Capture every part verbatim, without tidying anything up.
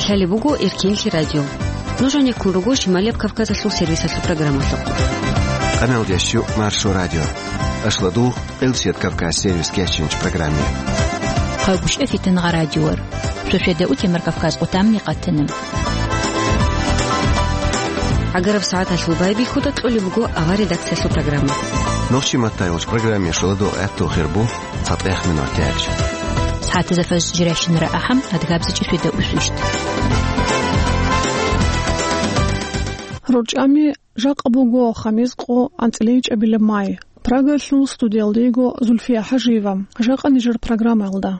Лъалеб буго Эркенлъи радио. Нуж гьанеккун руго Шималияб Кавказалъул сервисалъул программалъухъ. Къаналда щу Маршо радио. Ашладу Къилсият Кавказ сервис кечинч программе. Хъалгушев Фитнагъа радиор. Сосиеда утемар Кавказ къутамни къатана. ГӀагараб сагӀаталъул байбихьуда кьолеб буго авар редакциялъул программа. Нохчи маттайолч программе шуладу гӀатту хирбу цатӀех минут яч. ХӀатта зафас жиращинара ахӀам адгабзичӀи светда усущт. РорчӀами жакъа буго хамис къо анцӀила ичӀабилеб май. Прагалъул студиялда йиго Зульфия ХӀажиева. Жакъа нижер программаялда.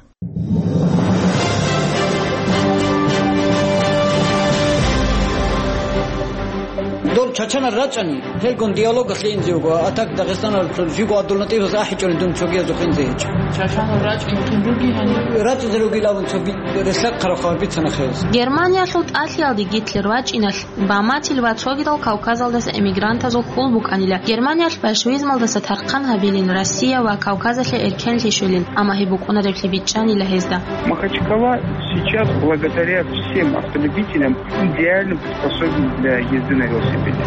Дол чачанал рачӀани, гьелгун диалогалъе инзе вуго, а так Дагъистаналъул жиго гьадул натӀибаз ахӀичӀони дун цогиязухъ инзе гьечӀо. Чачанал рачӀинхъин руги гьаниб? РачӀизе ругилавун цоги релълъа хъарахъ гьабицана хез. Германиялъул тӀалъиялде Гитлер вачӀиналъ, Баматил ва цогидал Кавказалдаса эмигрантазул хьул букӀанила. Германиялъ большевизмалдаса тархъан гьабилин Россия ва Кавказалъе эркенлъи щвелин, амма гьеб букӀунареблъи бичӀчӀанила гьезда. Махачкала сейчас, благодаря всем автолюбителям, идеально приспособлен для езды на велосипеде.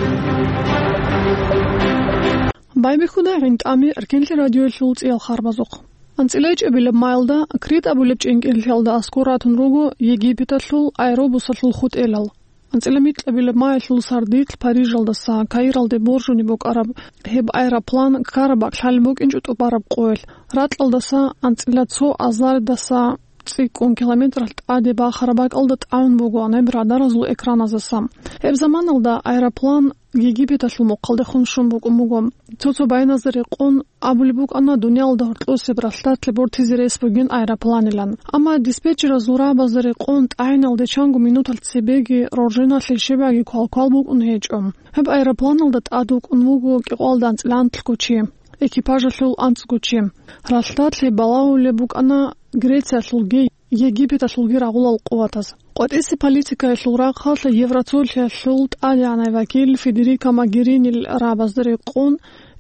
Байбихьуда гӀинтӀами Эркенлъи радиоялъул цӀиял харбазухъ. АнцӀила ичӀабилеб майалда Крит абулеб чӀинкӀиллъиялда аскӀор ратун руго Египеталъул аэробусалъул хутӀелал. АнцӀила микьабилеб майалъул сардилъ Парижалдаса Каиралде боржуни букӀараб гьеб аэроплан ккараб бакӀ лъалеб букӀинчӀо тӀубараб къоялъ. Ракьалдаса анцӀила цо азардаса цӀикӀкӀун километралъ тӀаде бахараб бакӀалда тӀагӀун буго гьеб радаразул экраназаса. Гьеб заманалда аэроплан Египеталъул мухъалдехун щун букӀун буго. Цо-цо байназда рекъон абулеб букӀана дуниялалда гьоркьосеб ралъдалъе бортизе рес бугин аэропланилан. Амма диспетчеразул рагӀабазда рекъон тӀагӀиналде чанго минуталъ цебеги рорженалъе щибаги квалквал букӀун гьечӀо. Гьеб аэропланалда тӀад вукӀун вуго кӀикъоялда анцӀила анлъго чи, экипажалъул анцӀго чи. Ралъдалъе балагьулеб букӀана Грециялъулги Египеталъулги рагъулал къуватаз. КъватӀисе политикаялъул рахъалъ Евроцолъиялъул тӀадегӀанай вакил Федерико Могеринил рагӀабазда рекъон,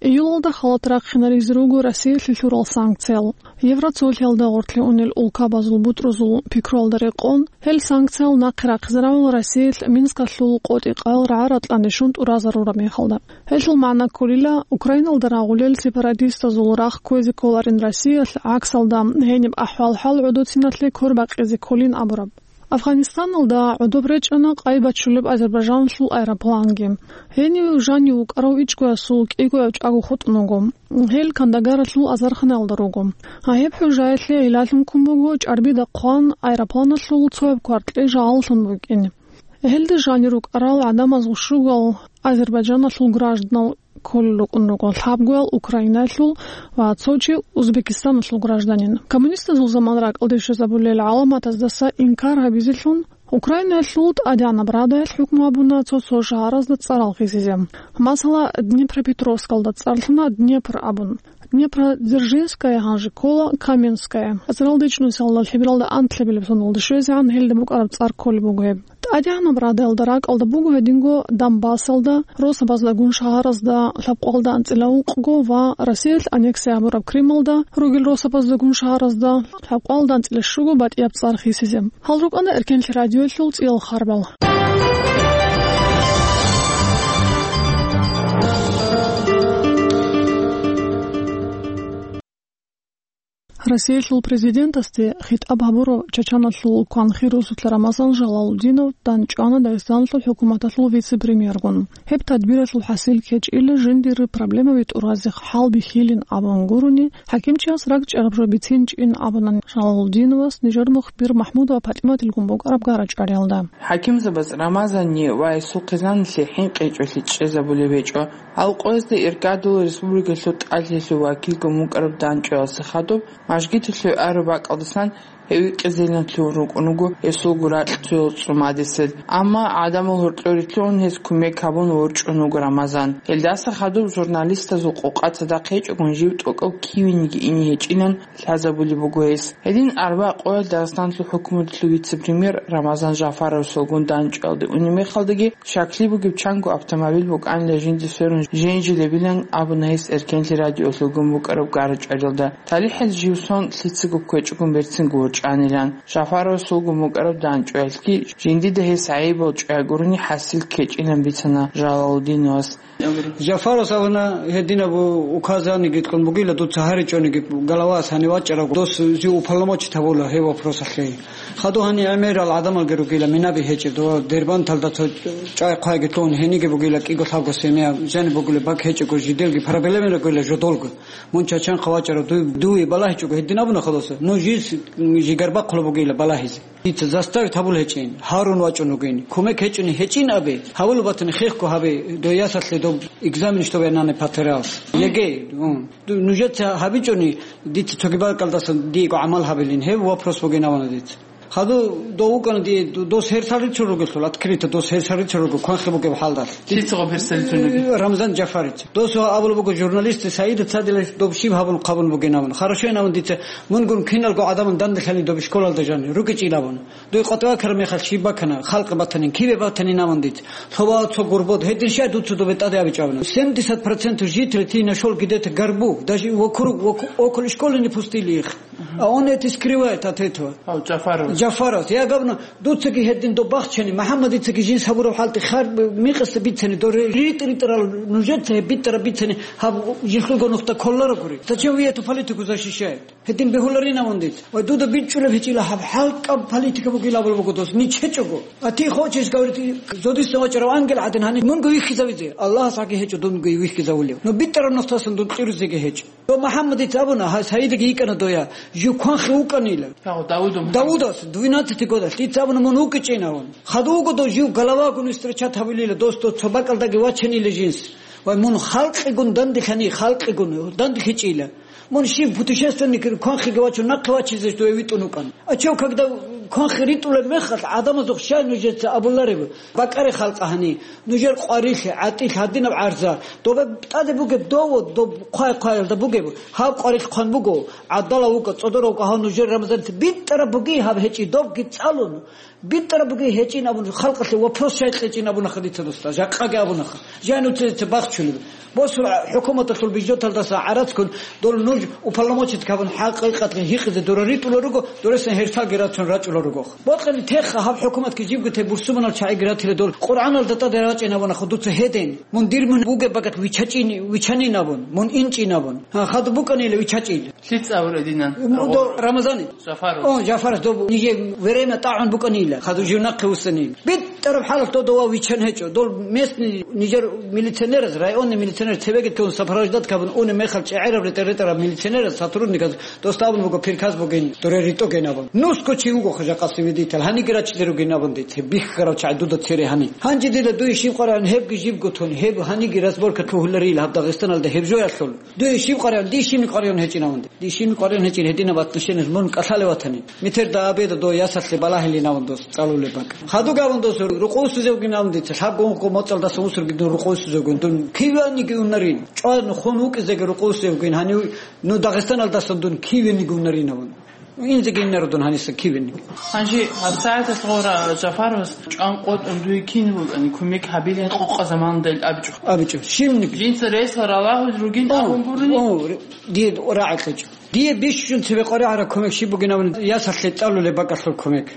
июлалда халат рахъинаризе руго Россиялъе лъурал санкциял. Евроцолъиялда гъорлъе унел улкабазул бутӀрузул пикруялда рекъон, гьел санкциял нахъе рахъизе равал Россиялъ Минскалъул къотӀи-къаял рагӀа-ратӀлъан рещун тӀуразарураб мехалда. Гьелъул магӀна кколила, Украиналда рагъулел сепаратистазул рахъ кквезе кколарин Россиялъ, гӀаксалда, гьениб ахӀвал-хӀал гӀодоциналъе квербакъизе кколин абураб. Афганистаналда гӀодоб речӀана къай бачулеб Азербайджаналъул аэропланги. Гьенив жанив вукӀарав ичӀгоясул кӀигояв чӀаго хутӀун вуго. Гьел Кандагаралъул азарханаялда руго. Гьеб хӀужаялъе гӀилалъун ккун буго чӀарбида хъван аэропланалъул цояб кваркье жагьаллъун букӀин. Гьелда жанир рукӀарал гӀадамазул щугал Азербайджаналъул гражданал кколел рукӀун руго, лъабгоял Украинаялъул ва цо чи Узбекистаналъул гражданин. Коммунистазул заман ракӀалде щвезабулел гӀаламатаздаса инкар гьабизелъун, Украинаялъул ТӀадегӀанаб Радаялъ хӀукму гьабуна цо-цо шагьаразда цӀарал хисизе. Масала, Днепропетровскалда цӀарлъана Днепр абун. Днепродзержинская, гьанже ккола Каменская. Азаралда ичӀнусиялда лъебералда анлъабилеб соналда щвезегӀан гьелда букӀараб цӀар кколеб буго гьеб. ТӀадегӀанаб Радаялда ракӀалда буго гьединго Донбассалда, росабаздагун шагьаразда лъабкъоялда анцӀила ункъго ва Россиялъ аннексия гьабураб Крымалда ругел росабаздагун шагьаразда лъабкъоялда анцӀила щуго батӀияб цӀар хисизе. Гьал рукӀана Эркенлъи радиоялъул цӀиял харбал. Россиялъул президентасде хитӀаб гьабурав Чачаналъул кванхир росулъа Рамазан Жалалудинов данчӀвана Дагъистаналъул хӀукуматалъул вице-премьергун. Гьеб тадбиралъул хӀасил ккечӀила жиндир проблемаби тӀуразе хӀал бихьилин абун гурони, хӀакимчияс ракӀчӀараб жо бицинчӀин абуна Жалалудиновас нижер мухбир МахӀмудова ПатӀиматилгун букӀараб гара-чӀвариялда. ХӀакимзабаз Рамазанни ва гьесул хъизаналъе хӀинкъичӀолъи чӀезабулеб гьечӀо. Гьал къоязда иргадул республикалъул тӀалъиялъул вакилгун вукӀараб данчӀваялъе хадуб, мажгиталъув араб бакӀалдасан гьев икъизейилан лъугьун рукӀун вуго гьесулго ракь цоял цӀумадисел. Амма гӀадамал гьоркьор рилълъун гьез кумек гьабун ворчӀун вуго Рамазан. Гьелдаса хадуб журналистазул къокъа цадахъ гьечӀогун жив тӀокӀав кивениги ине гьечӀилан лъазабулеб буго гьес. Гьедин арба къоялъ Дагъистаналъул хӀукуматалъул вице-премьер Рамазан Жафаровасулгун данчӀваялде унеб мехалдаги, щаклъи бугеб чанго автомобиль букӀанила жинда сверун женжилебилан абуна гьес Эркенлъи радиоялъулгун букӀараб гара-чӀвариялда. ТалихӀал жив сон лъицаго кквечӀогун берцинго чӀанилан. Жафаровас вуго мукӀараб данчӀваялъги, жиндида гьес гӀайибал чӀвай гурони хӀасил ккечӀилан бицана Жалалудиновас. Жафаровас абуна, гьединаб указаниги кьун бугила, дуца гьаричӀониги, головас гьанив вачӀарав дос жив уполномочить гьабула гьеб вопросалъе. Хадур гьанир гӀемерал гӀадамалги ругила, минаби гьечӀеб, дова Дербанталда цо чӀвай-хъвайги лъугьун, гьениги бугила кӀиго-лъабго семья, жаниб бугила бак гьечӀого, жидерги проблемаги ругила жодолго. Мун Чачанхъа вачӀарав дуй, дуе балагьичӀого гьедин абуна хадуса. Ну жиз жигар бахъула бугила балагьизе. Дица заставить гьабул гьечӀин, гьарун вачӀун вугин. Кумек гьечӀони гьечӀин абе, гьавулаб батани хехго гьабе, дой ясалъе доб экзамен, чтобы я нане патериалс. ЕГЭ, м. Ду-, нужеца гьабичӀони, дица цоги бакӀалдасан диего гӀамал гьабилин, гьеб вопрос бугин абуна дица. Хадур дов вукӀана дие, ду-, дос гьерсал рицун ругелъул, открыто дос гьерсал рицун руго, кванхъи бугеб хӀалдалъ. Лъицаго гьерсал рицун ругел? Рамзан Жафарич. Дос ва абулеб буго журналистти Саида цадилан доб щиб гьабун хъабун бугин абун. Хорошо, инан дица, мун гурун киналго гӀадаман данделъани доб школалда жани, рукӀичӀил абун. Дой къватӀивакараб мехалъ щиб бакана, халкъ батанин, кибе батанин абун дица. Лъова цо гурбод, гьедин щай дуца добе тӀаде абичӀабуна. Семьдесят процентов жителей, ты нашёл где-то горбу, даже вокруг, вок-, около школы не пустили их. А он это скрывает от этого. Ау, Джафаров. Джафаров. Я гавно, дуцаги гьедин доб бахчани, МухӀаммадицаги жинс гьабураб хӀалти хар микъасда бицани, дор ритӀ-ритӀарал нужеца гьеб битӀараб бицани, гьаб жинлъулго нухда кколарагури. Зачем вы эту политику защищаете? Гьедин бегьуларин авун дица. Ва дуда бичӀчӀулеб гьечӀила гьаб хӀалкӀаб политика бугила абулеб буго дос, нич гьечӀого. А ты хочешь говорить, зодиса вачӀарав ангел гӀадин гьаниб мунго вихьизавизе? Аллагьас гьаги гьечӀо дунго вихьизавулев. Ну битӀараб нухтасан дун кьуризеги гьечӀо. Дов МухӀаммадица абуна, гьай Саидаги йикӀана доя, жив кванхъи вукӀанила. Давудов. Давудас, двенадцать годалъ, дица абуна, мун вукӀичӀин авун. Хадув вуго дов жив головагун встречат гьабулила, дос дов цо бакӀалдаги вачанила жинс. Вай, мун халкъигун данделъани, халкъигун данделъичӀила. Мун щив путешественник кванхъиги вачун нахъе вачизе дуе витӀун вукӀан. А чев, когда кванхъи ритӀулеб мехалъ, гӀадамазухъ щай нужеца абулареб? БакӀаре халкъа гьани, нужер къварилъи, гӀатӀилъи гьадинаб гӀарза. Добе тӀаде бугеб дово, доб хъвай-хъваялда бугеб, гьаб къварилъ хъван буго, гӀадала вукӀа, цӀодора вукӀа, гьав нужер Рамазаница битӀараб буги гьаб гьечӀи, добги цӀалун. БитӀараб буги гьечӀин абун, халкъалъе вопрос щай кьечӀин абунаха дица досда, жакъаги абунаха. Жай нуцеца бахчулеб. Босула хӀукуматалъул бюджеталдаса гӀарацгун дол нуж уполномочить гьабун хӀакъикъатги гьикъизе дура ритӀула руго, дуресен гьерсалги рацун рачӀула руго. Бокьани теха гьаб хӀукуматги жибго те бурсуманал чагӀиги ратила дол Къуръаналда тӀаде рачӀин абунаха дуца гьедин. Мун дир мун бугеб багат вичачӀин, вичанин абун, мун инчӀин абун. Гьа, хадуб букӀанила вичачӀила. Лъица абура динан? М, до Рамазани. Жафаров. О, Жафаров, доб ниже время тӀагӀун букӀанила, хадув жив нахъе вуссанила. БитӀараб хӀалалъ додова вичан гьечӀо. Дол местный нижер милиционераз, районный милиционер цебеги тун сопровождать кабун уни мехал чӀегӀераб ретӀа-ретӀараб милиционераз, сотрудниказ дос абун буго, приказ бугин, дуре ритӀоген абун. Нусго чи вуго хъажа къасивидитал, гьаниги рачизе ругин абун дице, бихьарав чагӀи дуда цере гьани. Гьанже дида дуе щиб къваригӀун гьебги жибго тун, гьеб гьаниги разборка лъугьуларила гьаб Дагъистаналда гьеб жоялъул. Дуе щиб къваригӀун, дие щибни къваригӀун гьечӀин авунде. Дие щибни къваригӀун гьечӀин гьединаб отношениялъ мун кӀалъалев ватани. Метер да абеда до ясалъе балагьилин авун дос, цӀалулеб бакӀ. Хадуг авун дос рукъовсизевгин авун дица, лъабго-ункъго моцӀалдаса усурги дун рукъовсизевгин, дун киваниги унарин. ЧӀван хун вукӀизеги рукъовсизевгин, гьанив ну Дагъистаналдасан дун кивениги унарин авун. Инзеги инародун гьаниса кивениги. Гьанже гьабсагӀаталъ гъора Жафаровас чӀван къотӀун дуе кин вукӀани, кумек гьабилин къокъа заманда ил абичӀо. АбичӀо, щибниги. Жинца ресла ралагьул ругин абун гурони? О, ре-, дие рагӀи кьечӀо. Дие бищун цебе къваригӀараб кумек щиб бугин абуни, ясалъе цӀалулеб бакӀалъул кумек.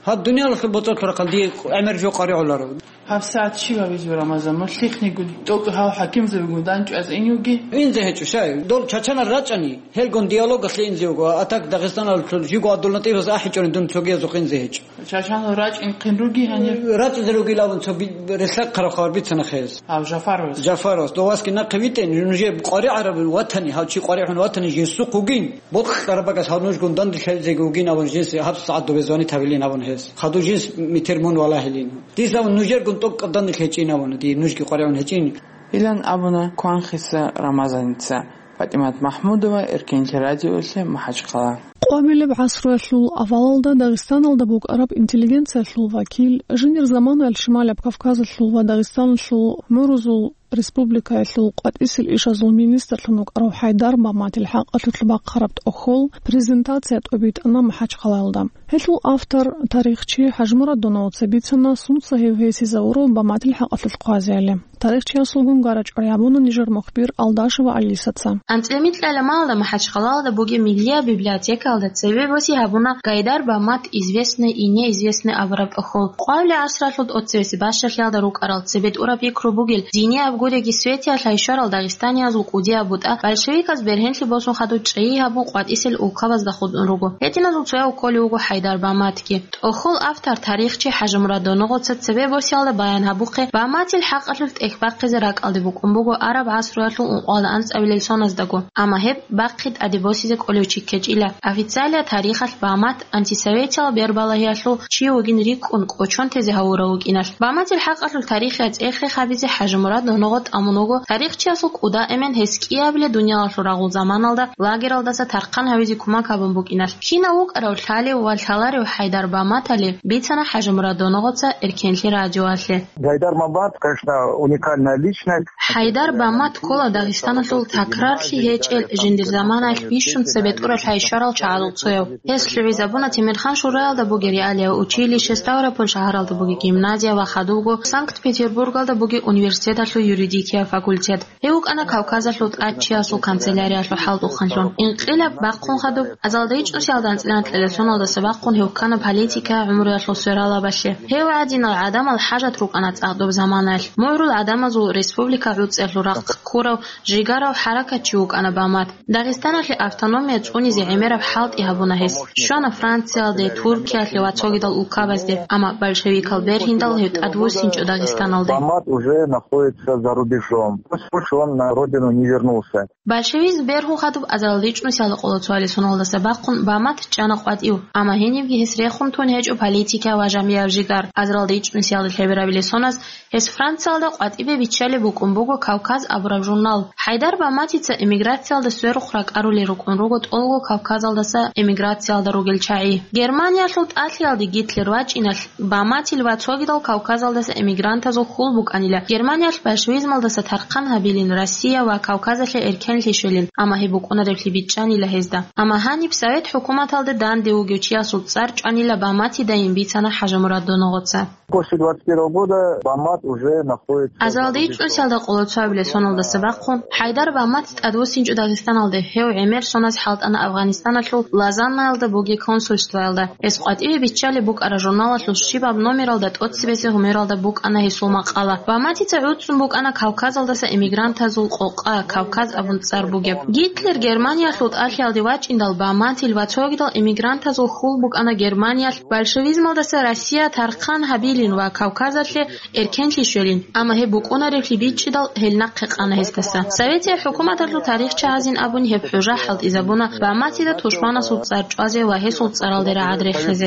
Гьаб дуниялалъул боцӀалъул рахъал дие гӀемер жо къваригӀуларо. ГьабсагӀат щиб гьабизе, Рамазан, мун лъихънигун, тӀокӀ гьав хӀакимзабигун данчӀваз ин юги? Инзе гьечӀо, шай. Дол чачанал рачӀани, гьелгун диалогалъе инзе вуго, а так Дагъистаналъул жуго ГӀабдуллатӀибас ахӀичӀони дун цогиязухъ инзе гьечӀо. Чачанал рачӀин хъин руги гьанир? РачӀизе ругилавун цо би-, релълъахъараб хабар бицана хез. Гьав Жафаровас. Жафаровас, довасги нахъе витӀен, нужее къваригӀараб ватани, гьав чи къваригӀун ватани жинсухъ вугин. Бокьараб багас гьав нужгун данделъизеги вугин абун жинс гьаб сагӀат добе звонит гьабилин абун гьес. Хадув жинс метер мун валагьилин. Дизавун нужергун тӀокӀаб данделъ гьечӀин абуна, дие нужги къваригӀун гьечӀин. Илан абуна Кванхиса Рамазаница. ПатӀимат МахӀмудова, Эркенлъи радиолъе, МахӀачхъала. Къвабилеб гӀасруялъул авалалда Дагъистаналда букӀараб интеллигенциялъул вакил, жиндир заманаялъ Шималаб Кавказалъул ва Дагъистаналъул гӀумрузул республикаялъул къватӀисел ишазул министрлъун вукӀарав ХӀайдар Баматил хӀакъалъулъ бахъараб тӀохьол презентация тӀобитӀана МахӀачхъалаялда. Гьелъул автор, тарихчи ХӀажмурад Доновца бицана, сунца гьев гьесизавурав Баматил хӀакъалъулъ хъвазеяли. Тарихчиясулгун гара-чӀвари гьабуна нижер мухбир Алдашева Алисаца. АнцӀила микьала малда МахӀачхъалалда бугеб Миллияб библиотекалда цебе боси гьабуна Гайдар Бамат, известный и неизвестный абураб тӀохьол. Къвалли гӀасралъул тӀоцебесеб бащалъиялда рукӀарал, цебе тӀураб пикру бугел, динияб гуреги светиялъ гьайщарал дагъистаниязул кӀудияб бутӀа большевиказ бергьенлъи босун хадуб чӀей гьабун къватӀисел улкабазда хутӀун руго. Гьединазул цояв кколев вуго ХӀайдар Баматги. ТӀохьол автор, тарихчи ХӀажимурад Доногъоца цебе босиялда баян гьабухъе, Баматил хӀакъалъулъ тӀехь бахъизе ракӀалде букӀун буго араб гӀасруялъул ункъоялда анцӀабилел соназдаго, амма гьеб бахъи тӀаде босизе кӀолев чи ккечӀила. Официалияб тарихалъ Бамат антисоветиял бербалагьиялъул чи вугин рикӀкӀун кӀочон тезе гьавурав вукӀиналъ. Баматил хӀакъалъулъ тарихияб цӀех-рех гьабизе ХӀажимурад Доногъо тӀамун вуго тарихчиясул кӀуда эмен гьес кӀиабилеб дуниялалъул рагъул заманалда лагералдаса тархъан гьавизе кумек гьабун букӀиналъ. Кинав вукӀарав лъалев ва лъаларев ХӀайдар Баматали бицана ХӀажимурад Доногъоца Эркенлъи радиоялъе. Гайдар Бамат, конечно, уникальная личность. ХӀайдар Бамат ккола Дагъистаналъул такрарлъи гьечӀел, жиндир заманаялъ бищун цебе тӀуралъ гьайщарал чагӀазул цояв. Гьес лъугӀизабуна Темирхан шураялда бугеб реалияб училище, Ставрополь шагьаралда бугеб гимназия ва хадубго Санкт-Петербургалда бугеб университеталъул юридикияб факультет. Гьев вукӀана Кавказалъул тӀадчиясул канцеляриялъул хӀалтӀухъанлъун. Инкъилаб бахъун хадуб, азалда ичӀнусиялда анцӀила анкьила соналдаса бахъун гьев ккана политика гӀумруялъул свералабалъе. Гьев гӀадинал гӀадамал хӀажат рукӀана цӀакъ доб заманаялъ. МугӀрул гӀадамазул республика гӀуцӀиялъул рахъ ккурав, жигарав хӀаракатчи вукӀана Бамат. Дагъистаналъе автономия цӀунизе гӀемераб хӀалтӀи гьабуна гьес. Щвана Франциялде, Туркиялъе ва цогидал улкабазде, амма большевикал бергьиндал гьев тӀадвуссинчӀо Дагъистаналде. Бамат уже находится за рубежом. Больше он на родину не вернулся. Большевизм бергьун хадуб азаралда ичӀнусиялда къоло цоялил соналдаса бахъун Бамат чӀана къватӀив, амма гьенибги гьес рехун тун гьечӀо политика ва жамгӀияб жигар. Азаралда ичӀнусиялда лъеберабилеб соназ гьес Франциялда къватӀибе биччалеб букӀун буго «Кавказ» абураб журнал. ХӀайдар Баматица эмиграциялда сверухъ ракӀарулел рукӀун руго тӀолго Кавказалдаса эмиграциялда ругел чагӀи. Германиялъул тӀалъиялде Гитлер вачӀиналъ, Баматил ва цогидал Кавказалдаса эмигрантазул хьул букӀанила Германиялъ большевизмалдаса тархъан гьабилин, Россия ва Кавказалъе эркенлъи щвелин, амма гьеб букӀунареблъи бичӀчӀанила гьезда. Амма гьаниб Совет хӀукуматалде данде вугев чиясул цӀар чӀванила Баматидайин бицана ХӀажимурад Доногъоца. После двадцать первого года Бамат уже находится... Азалда ичӀнусиялда къоло цоябилеб соналдаса бахъун ХӀайдар Бамат тӀадвуссинчӀо Дагъистаналде, гьев гӀемер соназ хӀалтӀана Афгъанистаналъул Лозаннаялда бугеб консульствоялда. Гьес къватӀиве биччалеб букӀараб журналалъул щибаб номералда тӀоцебесеб гьумералда букӀана гьесул макъала. Баматица гӀуцӀун букӀана Кавказалдаса эмигрантазул къокъа, «Кавказ» абун цӀар бугеб. Гитлер Германиялъул тӀалъиялде вачӀиндал, Баматил ва цогидал эмигрантазул хьул букӀана Германиялъ большевизмалдаса Россия тархъан гьабилин ва Кавказалъе эркенлъи щвелин, амма гьеб букӀунареблъи бичӀчӀидал, гьел нахъе къана гьесдаса. Советияб хӀукуматалъул тарихчагӀазин абун гьеб хӀужа хӀалтӀизабуна Баматида тушманасул цӀар чӀвазе ва гьесул цӀаралде рагӀад рехизе.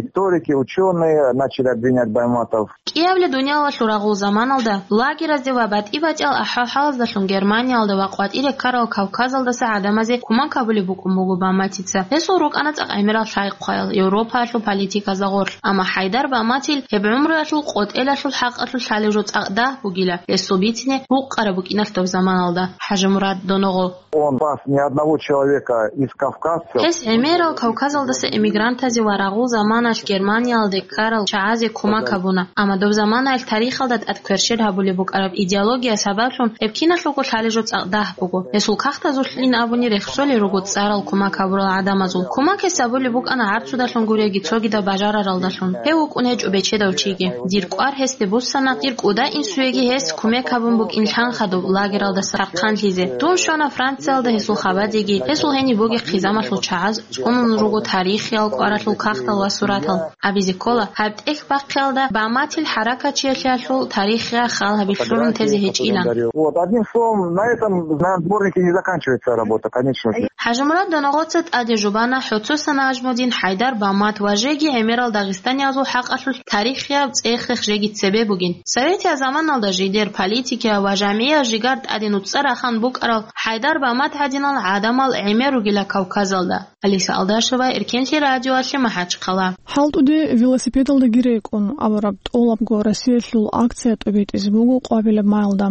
Историки, учёные начали обвинять Байматов. КӀиабилеб дуниялалъул рагъул заманалда, лагеразде ва батӀи-батӀиял ахӀвал-хӀалаздалъун Германиялда ва къватӀире ккарал Кавказалдаса гӀадамазе кумек гьабулеб букӀун буго Баматица. Гьесул рукӀана цӀакъ гӀемерал лъай-хъваял Европаялъул политиказда гъорлъ, амма ХӀайдар Баматил гьеб гӀумруялъул къотӀелалъул хӀакъалъулъ лъалеб жо цӀакъ дагь бугила, гьесул бицине букъараб букӀиналъ доб заманалда ХӀажимурад Доногъо. Он спас ни одного человека из кавказцев. Гьес гӀемерал Кавказалдаса эмигрантазе ва рагъул заманалъ Германиялде ккарал чагӀазе кумек гьабуна, амма доб заманаялъ тарихалда тӀад кверщел гьабулеб букӀараб идеология сабаблъун гьеб киналъулго лъалеб жо цӀакъ дагь буго. Гьесул кагътазулъин абуни рехсолел руго цӀарал кумек гьабурал гӀадамазул. Кумек гьес гьабулеб букӀана гӀарцудалъун гуреги цогидаб бажараралдалъун. Гьев вукӀун гьечӀо бечедав чиги. Дир кӀвар гьесде буссана, дир кӀуда инсуеги гьес кумек гьабун букӀин лъан хадуб лагералдаса тархъанлъизе. Дун щвана Франциялда гьесул хабадеги, гьесул гьениб бугеб хъизамалъул чагӀаз цӀунун руго тарихиял кӀваралъул кагътал ва суратал. Абизе ккола, гьаб тӀехь бахъиялда Баматил хӀаракатчиялъул тарихияб хал гьабилъун тезе гьечӀилан. Вот, одним словом, на этом, на сборнике не заканчивается работа, конечно же. ХӀажимурад Доногъоца тӀаде жубана ХӀоцо Санажмудин, ХӀайдар Бамат ва жеги гӀемерал дагъистаниязул хӀакъалъулъ тарихияб цӀех-рех жеги цебе бугин. Советияб заманалда жидер политикияб ва жамгӀияб жигар тӀаде нуцӀа рахан букӀарал ХӀайдар Бамат гӀадинал гӀадамал гӀемер ругила Кавказалда. Алиса Алдашева, Эркенлъи радиоялъе, МахӀачхъала. ХӀалтӀуде велосипедалдаги рекӀун абураб тӀолабго Россиялъул акция тӀобитӀизе буго къвабилеб майилда.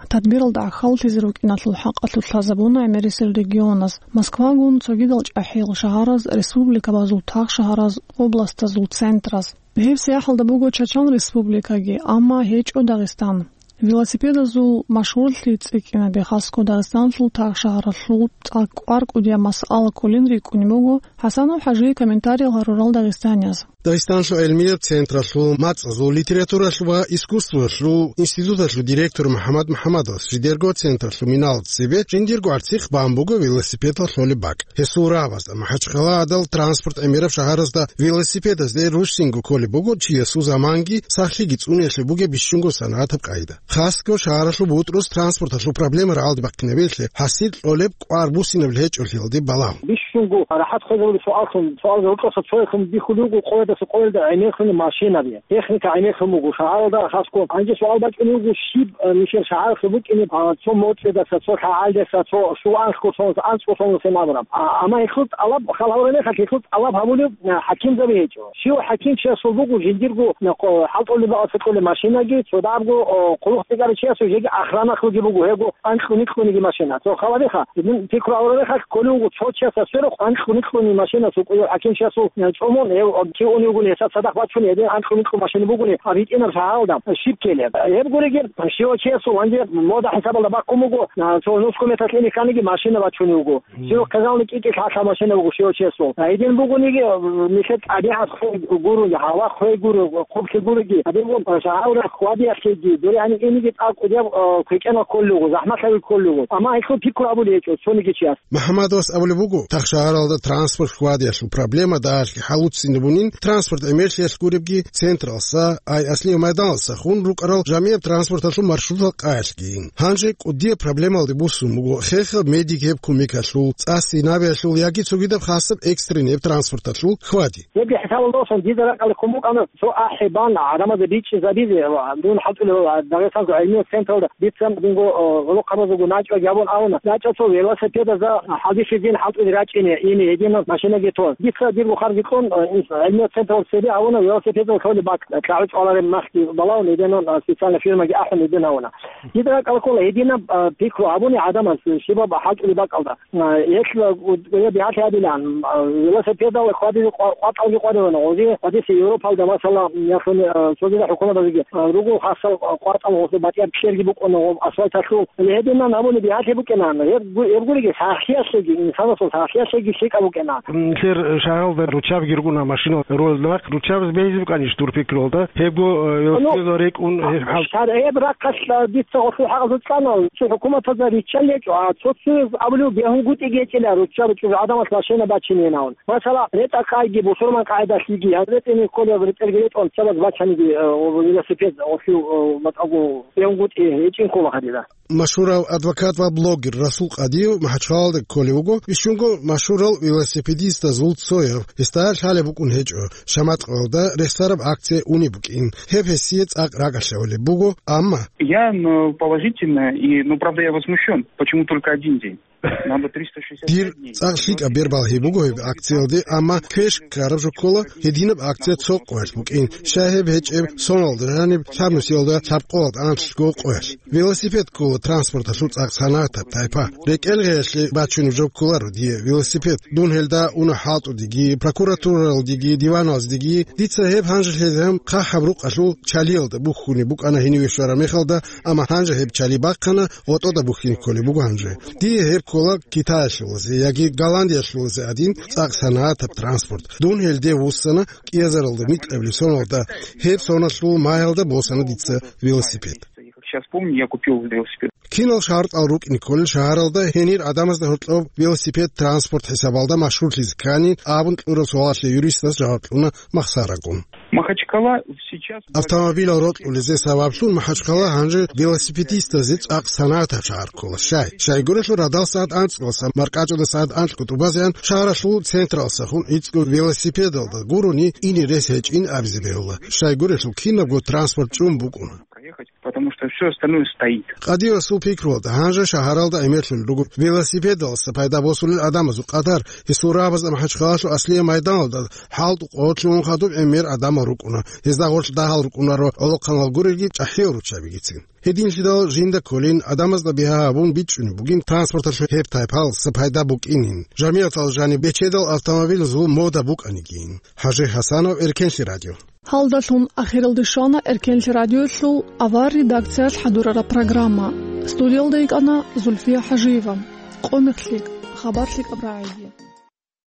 Тадбиралда гӀахьаллъизе рукӀиналъул хӀакъалъулъ лъазабуна гӀемерисел регионаз, Москвагун цогидал чӀахӀиял шагьараз, республикабазул тахшагьараз, областазул центраз. Гьеб сияхӀалда буго Чачан Республикаги, амма гьечӀо Дагъистан. Велосипедазул машгьурлъи цӀикӀкӀинаби хасго Дагъистаналъул тагъ шагьаралъул цӀакъ кӀвар кӀудияб масъала кколин рикӀкӀунеб буго ХӀасанов ХӀажие комментариял гьарурал дагъистанияз. Дагъистаналъул гӀилмияб централъул мацӀазул, литературалъул ва искусствоялъул институталъул директор МухӀаммад МухӀаммадовас жидерго централъул минал цебе жиндирго гӀарцихъ бан буго велосипедал лъолеб бакӀ. Гьесул рагӀабазда МахӀачхъалагьадал транспорт гӀемераб шагьаразда велосипедазде рушсинго кколеб буго чиясул заманги сахлъиги цӀуниялъе бугеб бищунго санагӀатаб къагӀида. Хасго шагьаралъул бутӀрус транспорталъул проблема рагӀалде бахъинабиялъе, гьасир кьолеб кӀвар буссинаб гьечӀолъиялде балагьун. Бищунго рахӀат хвезабулеб суаллъун, суалги гьоркьоса цояхъун бихьулев буго къоялдаса къоялда гӀемерлъуни машинаби, техника гӀемерлъун буго шагьаралда хасго. Гьанже суал бачӀунев буго, щиб, э, нилъер шагьаралъул букӀине, а, цо моцӀидаса, цо лъагӀалдаса, цо щуанлъго сонлъ, анцӀго сонлъ сен абураб. А, амма гьелъул тӀалаб, хал гьавураб мехалъ гьелъул тӀалаб гьабулев, а, хӀакимзаби гьечӀо. Щив хӀакимчиясул буго жиндирго, а, къо-, хӀалтӀулеб бакӀалъа кьолеб машинаги, цо дагьабго, а, хъулухъ тӀекӀарав чиясул жеги охранахълъуги буго, гьего анкьуникьуниги машина. Цо халабиха, гьедин пикру гьавураб мехалъ кколев вуго цо чиясда сверухъ анкьуникьуни машина цо къоялъ хӀакимчиясул, а, чӀомун, гьев, а, кигьунев вугони, гьесда цадахъ бачуни, гьедин анкьуникьун машина бугони, а, битӀинаб шагьаралда щиб ккелеб? Гьеб гуребги, щивав чиясул гьанже мода хӀисабалда бахъун буго, а, цо нусго метр кьиниканниги машина бачунев вуго. Мгм. Щив хъизални кӀикӀи лъалъа машина буго щивав чиясул. А гьедин бугониги, а, нилъер тӀабигӀат хвей гурони, гьава хвей гуро, хъублъи гуроги, гьадин буго, а, шагьаралда хвадиялъеги, дуре гьанив иниги тӀад кӀудияб, а, квекӀенал кколел руго, захӀмалъаби кколел руго. Амма гьелъул пикру гьабулеб гьечӀо цониги чияс. МухӀаммадовас абулеб буго, тагъ шагьаралда транспорт хвадиялъул проблема дагьалъги хӀалуцинабунин, транспорт гӀемерлъиялъ гуребги, централса, ай Аслияб майданалса хун рукӀарал жамигӀаб транспорталъул маршрутал къаялъгийин. Гьанже кӀудияб проблемалде буссун буго хехаб медик гьеб кумекалъул, цӀас инабиялъул яги цогидаб хасаб экстренный гьеб транспорталъул хвади. Гьебги хӀисабалда босун, дида ракӀалде ккун букӀана цо ахӀи бан гӀадамазда бичӀчӀизабизе ва дун хӀалтӀулев Дагъистаналъул гӀилмияб централда дица динго, о, гӀолохъабазулго начӀоги гьабун абуна, начӀал цо велосипедазда хӀалбихьизин хӀалтӀулел рачӀине, ине гьединаб машинаги тон. Дица дирго харги кьун, о, ин-, гӀилмияб централда цебе гьавуна велосипедал лъолеб бакӀ, тӀагӀу чӀвалареб махги балагьун гьединан, а, специально фирмаги ахӀун гьедин гьавуна. Дида ракӀалда ккола гьединаб, а, пикру гьабуни гӀадамаз щибаб хӀалтӀулеб бакӀалда. А, гьелъ, а, у-, у-, бигьалъи гьабилан, а, велосипедал хьвадизе къва-, къватӀалги къварилан, гъози гьадиса Европалда, масала, яхуни, а, цогидал хӀукуматазеги, а, руго хасал къватӀал гъоз батӀияб кьерги букӀуна гъоб асфальталъул. Гьединан гьабуни бигьалъи букӀинан. Гьеб гу-, гьеб гуриги сахлъиялъеги, инсанасул сахлъиялъеги лъикӀаб букӀина. Нилъер шагьаралда руччабги рукӀуна машина ролел рахъ. Руччабаз бегьизе букӀанищ дур пикруялда? Гьебго, э, велосипедал рекӀун, гьеб хӀал- Гьеб рахъалъ, а, дица гъолъул хӀакъалъулъ цӀана, цо хӀукуматазда риччал гьечӀо, а цо-цояз абулев бегьунгутӀиги гьечӀила, руччаби чӀужугӀадамалъ машина бачинейин абун. Масала, ретӀа-къайги, бусурман къагӀидалъиги, гьаб ретӀине кколеб ретӀелги ретӀун, цабаз бачаниги, э, велосипед гъолъул, э, батӀаго бегьунгутӀи гьечӀин ккола гьадинан. Машгьурав адвокат ва блогер Расул Къадиев МахӀачхъалалда кколев вуго, бищунго машгьурал велосипедистазул цояв, гьесда лъалеб букӀун гьечӀо, Шаматкъоялда рехсараб акция унеб букӀин. Гьеб гьесие цӀакъ ракӀалъ гьавулеб буго, амма. Я, ну, положительно, и, ну, правда, я возмущён. Почему только один день? Надо триста шестьдесят пять дней. Дир цӀакъ лъикӀаб бер балгьи буго гьеб акциялде, амма квеш ккараб жо ккола, гьединаб акция цо къоялъ букӀин. Щай гьеб гьечӀеб, соналда жаниб лъабнусиялда лъабкъоялда анлъго къоялъ. Велосипед ккола транспорталъул цӀакъ санагӀатаб тайпа. РекӀел гъеялъе бачунеб жо кколаро дие велосипед. Дун гьелда уна хӀалтӀудеги, прокуратуралдеги, диваналдеги. Дица гьеб гьанже лъезегӀан хъахӀаб рукъалъул чалиялда бухьунеб букӀана гьениве щвараб мехалда, амма гьанже гьеб чали бахъана, гъотӀода бухьине кколеб буго гьанже. Дие гьеб ккола Китаялъулазе яги Голландиялъулазе гӀадин цӀакъ санагӀатаб транспорт. Дун гьелде вуссана, кӀиазаралда микьабилеб соналда, гьеб соналъул магьалда босана дица велосипед. Сейчас помню, я купил велосипед. Кинал шартӀал рукӀине кколел шагьаралда гьенир гӀадамазда гьоркьоб велосипед транспорт хӀисабалда машгьурлъизе ккани абун кьураб суалалъе юристас жаваб кьуна махсарагун. Махачкала сейчас. Автомобилал рокьулезе сабаблъун МахӀачхъала гьанже велосипедистазе цӀакъ санагӀатаб шагьар ккола. Щай? Щайгурелъул радал сагӀат анцӀгоса, маркӀачӀуда сагӀат анлъго тӀубазеян шагьаралъул централсахун гӀицӀго велосипедалда гурони ине рес гьечӀин абизе бегьула. Щайгурелъул кинабго транспорт чӀун букӀуна. Потому что всё остальное стоит. Къадиевасул пикруялда, гьанже шагьаралда гӀемерлъулел руго велосипедалъа пайда босулел гӀадамазул къадар. Гьесул рагӀабазда МахӀачхъалалъул Аслияб майданалда хӀалтӀу къо лъугьун хадуб гӀемер гӀадамал рукӀуна. Гьезда гъорлъ дагьал рукӀунаро гӀолохъанал гурелги чӀахӀиял руччабигицин. Гьединлъидал жинда кколин, гӀадамазда бигьа гьабун бичӀчӀунеб бугин транспорталъул гьеб тайпалъа пайда букӀинин, жамигӀаталда жаниб бечедал автомобилазул мода букӀанигин. ХӀажи ХӀасанов, Эркенлъи радио. Гьалдалъун ахиралде щвана Эркенлъи радиоялъул авар редакциялъ хӀадурараб программа. Студиялда йикӀана Зульфия ХӀажиева. Къо-мех лъикӀ, хабар лъикӀаб рагӀиги.